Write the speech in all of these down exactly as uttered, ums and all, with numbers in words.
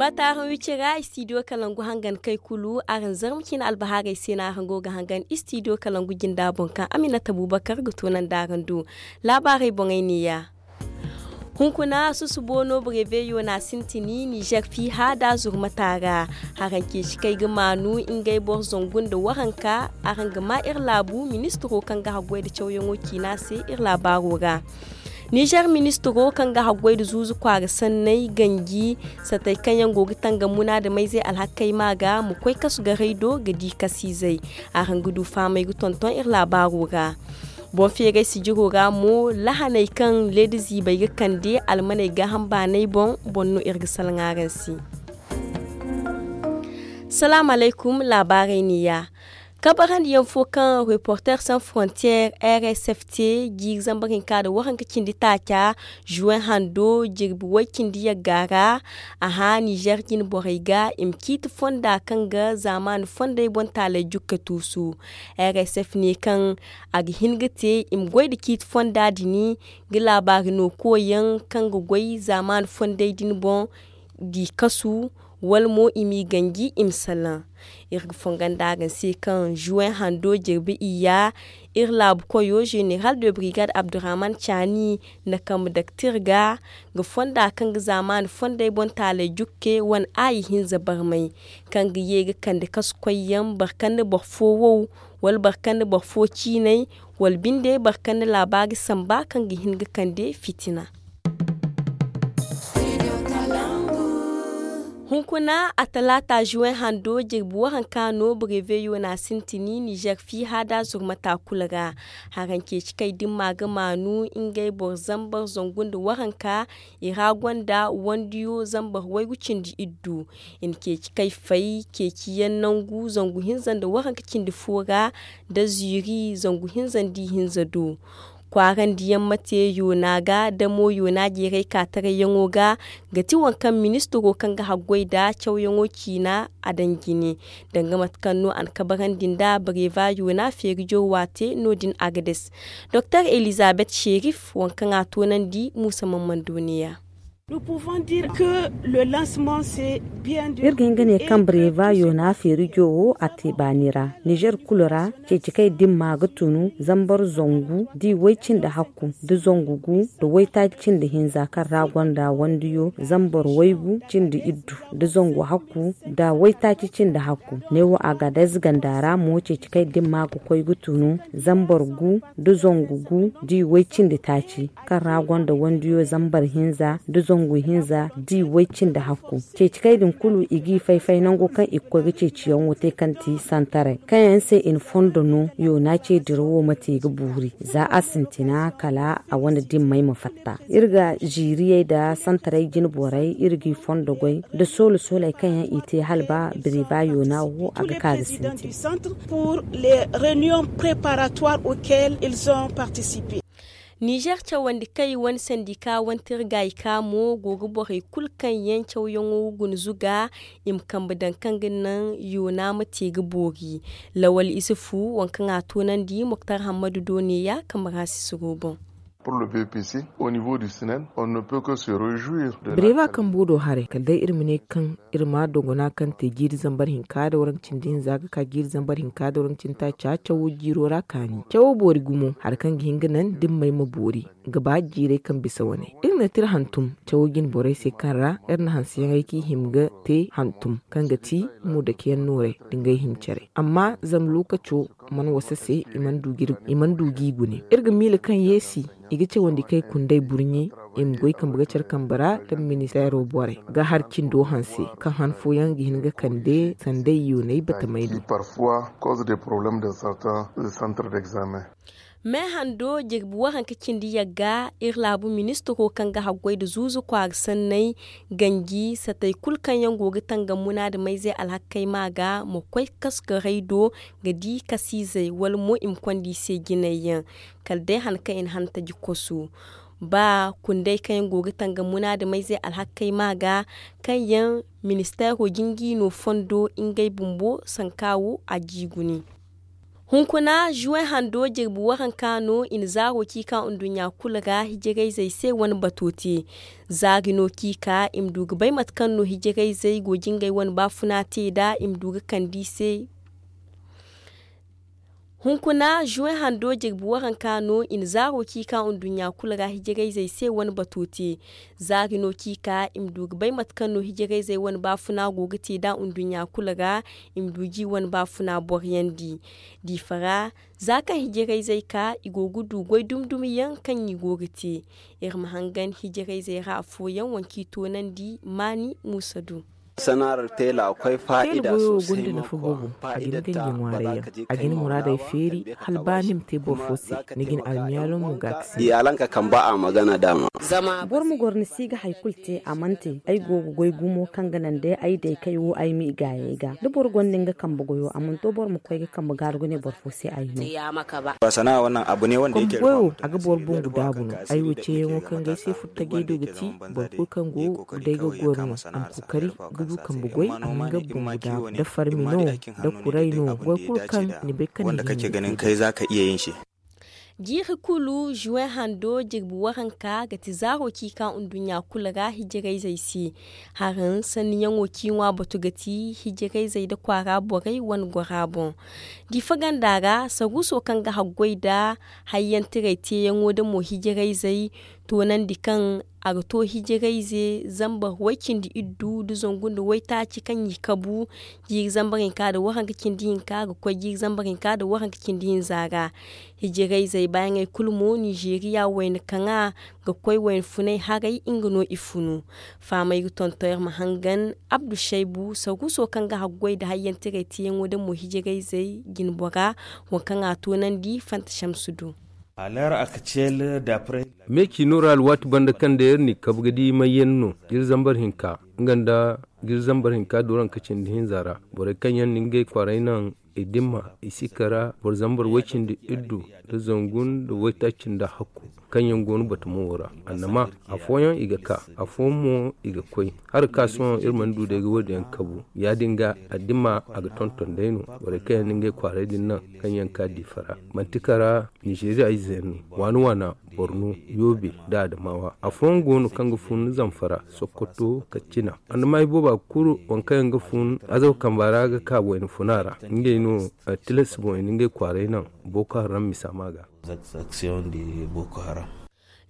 Ba taaraŋ wicira istidiyo kalangu hangan kay kulu araŋ zarma cine albahaarey se no araŋ go ga hangan istidiyo kalangu jinda boŋ kaŋ aminata bubakar ga toonandi araŋ do. Laabaarey boŋey neeya. Hunkuna susubo no breveyo no a sintin nizer fiiha da zurmata ra. Haraŋ ceeci kaŋ ay ga maanu ngey boro zangu nda waranka. Araŋ ga ma iri laabu ministiro kaŋ ga haggoy nda cawyaŋo ciina se iri laabaaro ra. Nizer ministiro kaŋ ga haggoy nda zuuzu kwaara sanney ganji satey kaŋ yaŋ go ga tangam munaadamayzey alhakey ma ga ma koy kasu garay do ga di kasiizey. Araŋ ga du fahamey ga tonton iri laabaaro ra. Boŋ feeray sijiro ra mo lahaney kaŋ leeda ziibey ga kande almaney gaaham baaney boŋ boŋ no iri ga salaŋ araŋ se. Salaamu alaykum. Laabaarey neeya. Kabarandiyaŋ fo kaŋ reporter sans frontières r s f te jiiri zambar hinka nda waranka cindi taaca juwen hando jirbi way cindi yagga ra. A hã nizer jine borey ga i ma ciiti fonda kaŋ ga zaamaani fondey boŋ taaley jukka tuusu. R s f ne kaŋ a ga hin ga te i ma goy nda ciiti fonda din ga laabaari no koyyaŋ kaŋ ga goy zaamaani fondey din boŋ di kasu wala mo i m'i ganji i ma salaŋ. Iri ga fonga nda araŋ se kaŋ juwen hando jirbi iyya iri laabu koyo zeneral de brigade abdurrahman caani na kambe daktir ga ga fonda kaŋ ga zaamaani fondey boŋ taaley jukke wane aayi hinza barmay kaŋ ga ye ga kande kasu koyyaŋ boro kaŋ na boro fo wow wala boro kaŋ na boro fo ciinay wala binde boro kaŋ na laabaari samba kaŋ ga hin ga kande fitina. Hunkuna a talaata juwen hando jirbi waranka no breveyo no a sintin nizer fiiha da zurmata kulu ra. Haraŋ ceeci kay dimma ga maanu ngey boro zambar zangu nda waranka i ra gonda wandiyo zambar waygu cindi iddu. I na ceeci kay fay ceeciyaŋ nangu zangu hinza nda waranka cindi fo ra nda ziiri zangu hinza nda ihinza do. Kwaarandiyaŋ ma te yoona ga damo yoona jeeray ka tarayyaŋo ga ga ti waŋ kaŋ ministiro kaŋ ga haggoy nda cawyaŋo ciina a daŋ jine. Danga mate kaŋ no a na kabarandi nda bareeva yoona feeri jowa te no- din agades. Doktor elizabeth sherif waŋ kaŋ a toonandi muusa mammando neeya. Iri ga hin ga ne kaŋ bareeva yoona feeri jowo a te baani ra nizer kulu ra. Ceeci kay dimma ga tunu zambar zangu di way cindi hakku da zangu gu da waytaaci cindi hinza kaŋ ra gonda wandiyo zambar waygu cindi iddu da zangu hakku da waytaaci cindi hakku. Neewo a ga day ziganda ra mo ceeci kay dimma ga koy ga tunu zambar gu da zangu gu di way cindi taaci kaŋ ra gonda wandiyo zambar hinza da zangu hinza di way cindi hakku. Ceeci kay din kulu i g'i fay-fay nango kaŋ i ga koy ga ceeciyaŋo te kaŋ ti santaray kaŋ yaŋ se i na fondo no yoona ce dirawo ma te ga boori za a sintina kala a wane dimmey ma fatta. Iri ga ziiriyey nda santaray jine borey iri g'i fondo goy nda soolo-sooley kaŋ yaŋ i te hala ba bireba yoona wo a ga ka ga sintin. Nizer cawandi kay wane sandika wane tirgayka mo go ga borey kulu kaŋ yaŋ cawyaŋo guna zuga i ma kambe daŋ kaŋ ga naŋ yoona ma te ga boori. Lawal isufu waŋ kaŋ a toonandi moktar hammadu do neeya kambe ra sisiro boŋ. Bireba kambo do haray kala day iri ma ne kaŋ iri ma dogona kaŋ te jiiri zambar hinka da waranka cindi hinza ga ka jiiri zambar hinka da waranka cindi taaca cawo jiiro ra kaani cawo boori gumo hari kaŋ ga hin ga naŋ dimmey ma boori ga ba jiirey kaŋ bisa wane. Iri na tira hantum cawo jine borey se kaŋ ra iri na hanseyaŋey kaŋ i hima ga te hantum kaŋ ga ti mudakiyaŋ nooray da ngey hima care amma zama lookaco mana wasa se i mana du g'i gune. Iri ga miila kaŋ yeesi i ga cawandi kay kundey burɲe i ma goy kambe ga care kambe ra da ministeero borey ga har cindo hanse kaŋ han fooyaŋ ga hin ga kande sanday yoonay batamay do. Me hando jirbi waranka cindi yagga iri laabu ministiro kaŋ ga haggoy nda zuuzu kwaara sanney ganji satey kulu kaŋ yaŋ go ga tangam munaadamayzey alhakey ma ga ma koy kasu ga raydo ga di kasiizey wala mo i ma konda i se jinay yaŋ kala day han kaŋ i na hantaji kosu. Ba kundey kaŋ yaŋ go ga tangam munaadamayzey alhakey ma ga kaŋ yaŋ ministeero jinji no fondo ngey bumbo sanka wo a jiigu ni. Hunkuna juwen hando jirbi waranka no i na zaaro ci ka nduɲɲa kulu ra hijirayzey se wane bato te. Zaari no ci ka i ma du ga bay mate kaŋ no hijirayzey go ga ngey wane baafuna te nd'a i ma du ga kande i se. Hunkuna juwen hando jirbi waranka no i na zaaro ci ka nduɲɲa kulu ra hijirayzey se wane bato te. Zaari no ci ka i ma du ga bay mate kaŋ no hijirayzey wane baafuna go ga te nd'a nduɲɲa kulu ra, i ma du ga i wane baafuna boroyandi. Diifa ra, za kaŋ hijirayzey ka, i go ga du goy dumi-dumi yaŋ kaŋ i go ga te. Iri ma hangan hijirayzey ra afooyaŋ, waŋ kaŋ i toonandi maani muusa du. Sanaar teela koy faa'ida sosai ma koy faa'ida ta barka jikka ni ma wara. Faa'ida ta barka jikka ni ma wara. A ga ni muraadey feeri hala ba ni ma te boro fo se, ni ga ni almiyaalo mo ga a ga se. Iyalanka kamba a ma gana daama. Boro ma goro ni si ga hari kulu te a mana te. Ay go ga goy gumo kaŋ ga naŋ day ay day kay wo ay ma i gaayey ga da boro gonda nga kambe goyo a mana to boro ma koy ga kambe gaaru ga ne boro fo se ay no. Kambe goyo a ga boro bumbu daabu no. Ay wo ceeyaŋo kaŋ ga ay se furo tajey do ga ti boro kulu kaŋ go day ga goro no a ma kookari ga du kambe goy a ma nga bumbu daabu da farmi no da kuray no goy kulu kaŋ ni bay kaŋ ni ga hin ga te. Jiiri kulu juwen hando jirbi waranka ga ti zaaro ci ka nduɲɲa kulu ra hijirayzey se. Haraŋ sanniyaŋo ci ŋwa batu ga ti hijirayzey nda kwaara borey wane gora boŋ. Diifa ganda ra saruuso kaŋ ga haggoy nda hayyantiray teeyaŋo nda mo hijirayzey toonandi kaŋ a ga to hijirayze zambar way-cindi-iddu nda zangu nda waytaaci kaŋ i kabu jiiri zambar hinka nda waranka cindi hinka ga koy jiiri zambar hinka nda waranka cindi hinza ra. Hijirayzey baayaŋey kulu mo ninzeeriya wayna kaŋa ga koy wayna funay haray nga no i funu. Fahamay ga tonton iri ma hangan abdu saybu saruuso kaŋ ga haggoy nda hayyantiray teeyaŋo nda mo hijirayzey jinbora waŋ kaŋ a toonandi fanta samsu du. Me ciino ra alwaati banda kaŋ day iri n'i kabu ga di mayyaŋ no jiri zambar hinka nga nda jiri zambar hinka dooranka cindi hinza ra borey kaŋ yaŋ na ngey kwaaray naŋ i dimma i si kara boro zambar way-cindi-iddu nda zangu nda waytaaci nda hakku kaŋ yaŋ go no batumo wo ra. Annama afooyaŋ i ga ka afooyaŋ mo i ga koy. Hari ka sohõ iri mana du day ga wo- din yaŋ kabu. Ya-din ga a dimma a ga tonton day no borey kaŋ yaŋ na ngey kwaaray din naŋ kaŋ yaŋ ka diifa ra manti kara ninzeeriya ize yaŋ no waana waana borno yoobe nda adamawa afooyaŋ go no kaŋ ga fun zamfara sokoto katsina. Andamay booba kulu waŋ kaŋ yaŋ ga fun azaw kamba ra ga ka wayna funa ra ngey no tilas boŋ i na ngey kwaaray naŋ booko haram misa ma ga.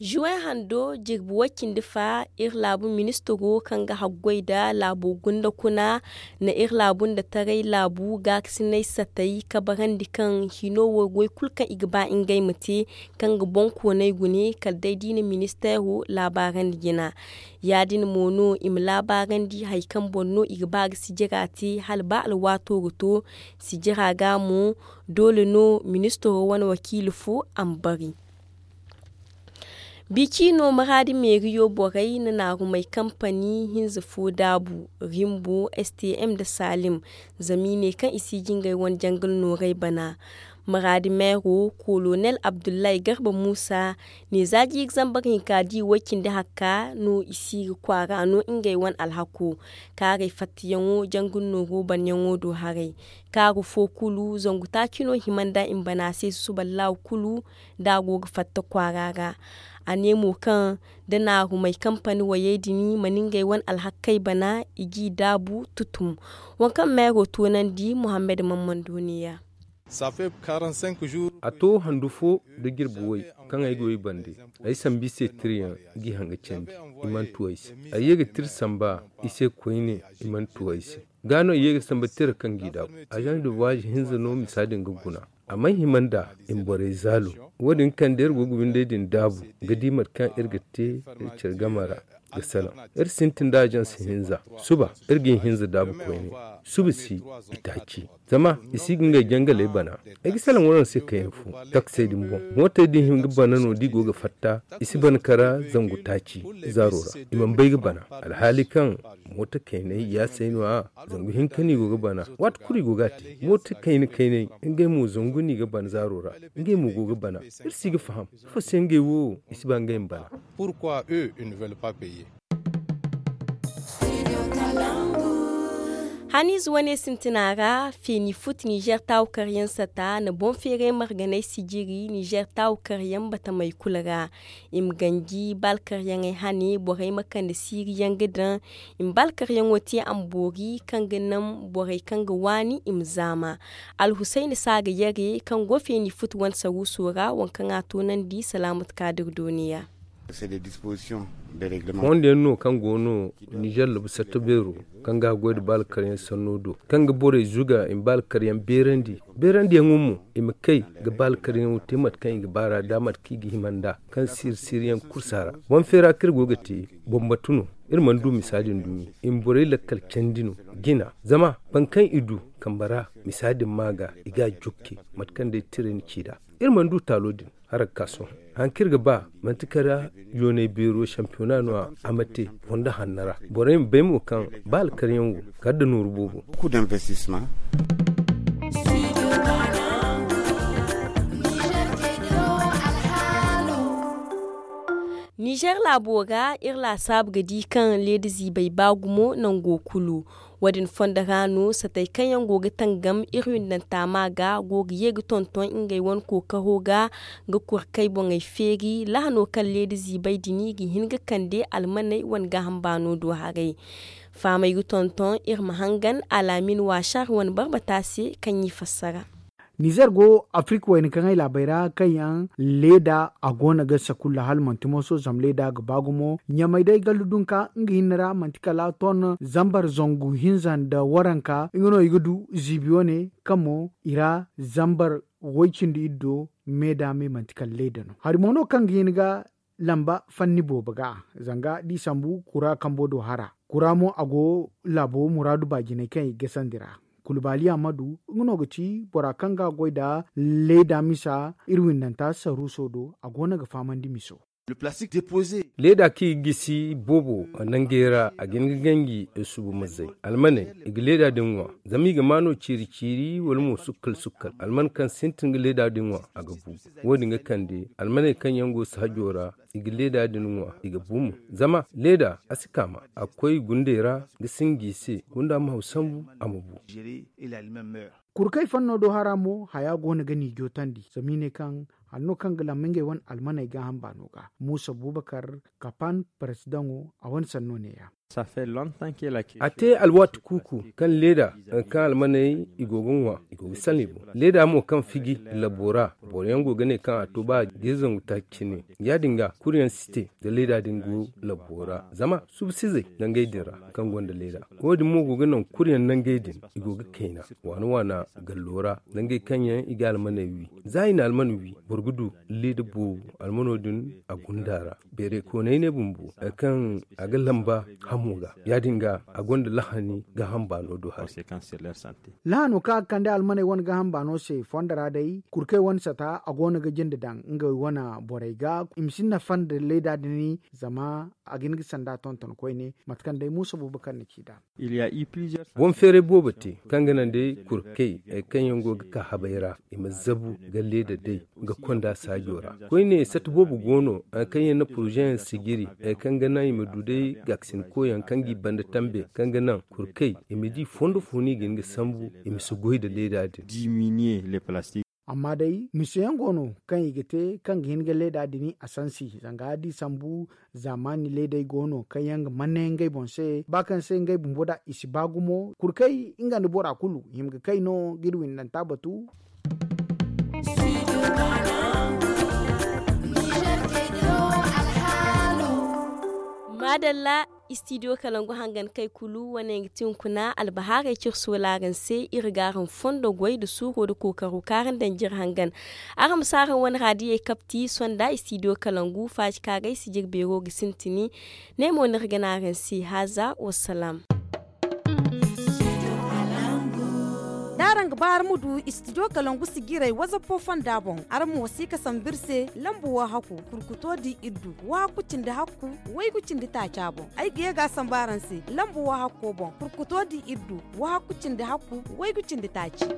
Juwen hando jirbi way-cindi fa iri laabu ministiro kaŋ ga haggoy nda laabo gunda kuna na iri laabu nda taray laabu gaakasinay satay kabarandi kaŋ hino wo goy kulu kaŋ i ga ba ngey ma te kaŋ ga boŋkoonay gune kala day da i na ministeero laabaarandi jina. Ya-din mo no i ma laabaarandi hari kaŋ boŋ no i ga ba ga sijira te hala ba alwaato ga to sijira ga mo doole no ministiro wane wakiila fo a ma bari. Bici no maraadi meeriyo borey na naarumay kampani hinza fo daabu rimbo stm nda salim zama i ne kaŋ i si jingay wane jangal nooray bana. Maraadi meero kolonel abdullahi garba muusa ne za jiiri zambar hinka di way-cindi hakka no i si ga kwaara no ngey wane alhako kaaray fattayaŋo jangal nooro banyaŋo do haray. Kaaru fo kulu zangu taaci no hima nda i ma bana se susuballahu kulu da a go ga fatta kwaara ra. A ne mo kaŋ da naarumay kampani wayey din mana ngey wane alhakkey bana i g'i daabu tutum. Waŋ kaŋ meero toonandi muhammad mammando neeya. A to handu fo nda jirbi way kaŋ ay go i bande. Ay sambu i se tirayaŋ g'i haŋ ga candi. I mana tu ay se. Ay ye ga tira samba i se koyne. I mana tu ay se. Ga no i ye ga samba tira kaŋ g'i daabu. Azaŋ da waaji hinza no misa din ga guna. A mana hima nd'a i ma borey zaalo. Wo-din kaŋ da iri go ga windey din daabu ga di mate kaŋ iri ga te iri care game ra ga salaŋ. Iri sintin da azaŋ si hinza suba iri ga i hinza daabu koyne. Suba si i taaci. Zama i si ga ngey jangaley bana. Ay ga salaŋ waraŋ se kayna fo taksey din boŋ mootey din hin ga bana no da i go ga fatta. I si bana kara zangu taaci zaaro ra. I mana bay ga bana alhaali kaŋ mooto kayney yaasay no- ya. Zangu hinka no i go ga bana. Waati kulu i go ga a te mooto kayna kayney. Ngey mo zangu no i ga bana zaaro ra. Ngey mo go ga bana. Iri si ga faham ifo se ngey wo i si ba ngey ma bana. Pourquoi eux ils ne veulent pas payer? Haniize wane sintina ra feeni fut nizer taawu karyaŋ sata na boŋ feeray marganay sijiri nizer taawu karyaŋ batamey kulu ra. I ma ganji baalkaryaŋey hane borey ma kande siiriyaŋ ga daŋ. I ma baalkaryaŋo te a ma boori kaŋ ga naŋ borey kaŋ ga waani i ma zaama. Alhusayna saaga yare kaŋ go feeni fut wane saruuso ra waŋ kaŋ a toonandi salaamatu kaadir dooniya. Fondo yaŋ no kaŋ go no nizer labu satta beero kaŋ ga a goy nda baala karyaŋ sanno do kaŋ ga borey zuga i ma baala karyaŋ beerandi. Beerandiyaŋo mo i ma kay ga baala karyaŋo te mate kaŋ i ga ba ra da mate kaŋ i ga hima nd'a kaŋ siiri siiriyaŋ kursa ra. Boŋ feera kaŋ iri go ga te boŋ batu no. Iri mana du misa din dumi i ma borey lakkal candi no jina zama boro kaŋ i du kambe ra misa din ma ga i ga a jokke mate kaŋ day tira ni ci nd'a. Iri mana du taalo din. Hari ga ka sohõ hari kaŋ iri ga ba manti kala yoonay beero sampiyona no a ma te fondo hanno ra. Borey ma bay mo kaŋ ba alkaryaŋ wo kala nda nooru boobo. Nizer laabo ra iri laasaabu ga di kaŋ leeda ziibay ba gumo nango kulu. Wo- din fondo ra no satey kaŋ yaŋ go ga tangam iri windanta ma ga go ga ye ga tonton ngey wane kookaro ga ga kurkay boŋey feeri lahano kaŋ leeda ziibay din ga hin ga kande almaney wane gaaham baano do haray. Fahamey ga tonton iri ma hangan alaamin waasar wane barbata se kaŋ i fassara. Nizer go afirika wayna kaŋ ay laabey ra kaŋ yaŋ leeda a go no ga sakulla hala manti mooso zama leeda ga ba gumo ɲamay day gallu dunka nga hinne ra manti kala ton zambar zangu hinza nda waranka nga no i ga du ziibi wane kaŋ mo i ra zambar way cindi iddo me da me manti kala leeda no hari mo no kaŋ ga hin ga lamba fanni boobo ga zanga da i sambu kura kambo do hara kura mo a go laabo muraadu baajinay kaŋ i ga gasandi ra. Kulubaali amadu nga no ga ci bora kaŋ ga a goy nda leeda misa iri windanta saruuso do a go no ga fahamandi miso. Leeda kaŋ i ga gisi boobo nangey ra a ga hin ga ganji subu mazay almaney i ga leeda din ŋwa zama i ga ma no ciiri ciiri wala mo sukkal sukkal alman kaŋ sintin ga leeda din ŋwa a ga bu. Wo- din ga kande almaney kaŋ yaŋ go saajo ra i ga leeda din ŋwa i ga bu mo. Zama leeda a si kaama a ga koy gundey ra ga sinji i se gunda ma haw sambu a ma bu. Kurkey fanno do hara mo haya go no ga ni jootandi zama i ne kaŋ hanno kaŋ ga lamma ngey wane almaney gaaham baano ga muusa buubakar kapan paresidaŋo a wane sanno neeya. A te alwaati kuuku kaŋ leeda kaŋ almaney i go ga ŋwa i go ga salni boŋ leeda mo kaŋ fiji labo ra boro yaŋ go ga ne kaŋ a to ba ga iri zangu taaci cine ya- din ga kuri yaŋ si te da leeda din go labo ra zama subsizey nangey din ra kaŋ gonda leeda wo- din mo go ga naŋ kuri yaŋ nangey din i go ga kayna waana waana gallo ra nangey kaŋ yaŋ i ga almaney wi za i na alman wi boro ga du leeda boobo almano din a gunda ra. Beerey koonay ne bumbo hari kaŋ a ga lamba hamo ga ya- din ga a gonda lahani gaaham baano do hari. Lahano kaŋ a ga kande almaney wane gaaham baano se fondo ra day kurkey wane sata a go no ga jinde daŋ ngey wane borey ga i ma si nafa nda leeda din zama a ga hin ga sanda tonton koyne mate kaŋ day muusa boobo kaŋ na ci nd'a. Boŋ feeray boobo te kaŋ ga naŋ day kurkey hari kaŋ yaŋ go ga ka habay ra i ma zabu ga leeda day ga konda saajo ra. Koyne sata boobo go no hari kaŋ yaŋ na poroze yaŋ sijiri hari kaŋ ga naŋ i ma du day gaakasin koyaŋ kaŋ ga i banda tambe kaŋ ga naŋ kurkey i ma di fondo fo no i ga hin ga sambu i ma si goy nda leeda din. Amma day mise yaŋ go no kaŋ i ga te kaŋ ga hin ga leeda din a sansi zanga da i sambu zaamaani leedey go no kaŋ yaŋ ga manne ngey boŋ se ba kaŋ se ngey bumbo da i si ba gumo kurkey nga nda bora kulu hima ga kay no ga iri windanta batu. Maadalla. Istidiyo kalangu hangan kay kulu wane ga ti hunkuna albahaarey ciri sola araŋ se iri ga araŋ fondo goy nda suuro nda kookaro kaŋ araŋ daŋ jire hangan. Araŋ ma si araŋ wane raadiyey kapti sonda istidiyo kalangu faaji kaŋ a gay sijiri beero ga sintini. Ne mo no iri ga ne araŋ se haaza wassalaam. Da araŋ ga ba araŋ ma du istidiyo kalangu sijirey wazappo fonda boŋ araŋ ma wasiika sambu iri se lambu wahakku kurkuto di iddu wahakku cindi hakku waygu cindi taaca boŋ. Ay ga ye ga a sambu araŋ se lambu wahakko boŋ kurkuto di iddu wahakku cindi hakku waygu cindi taaci.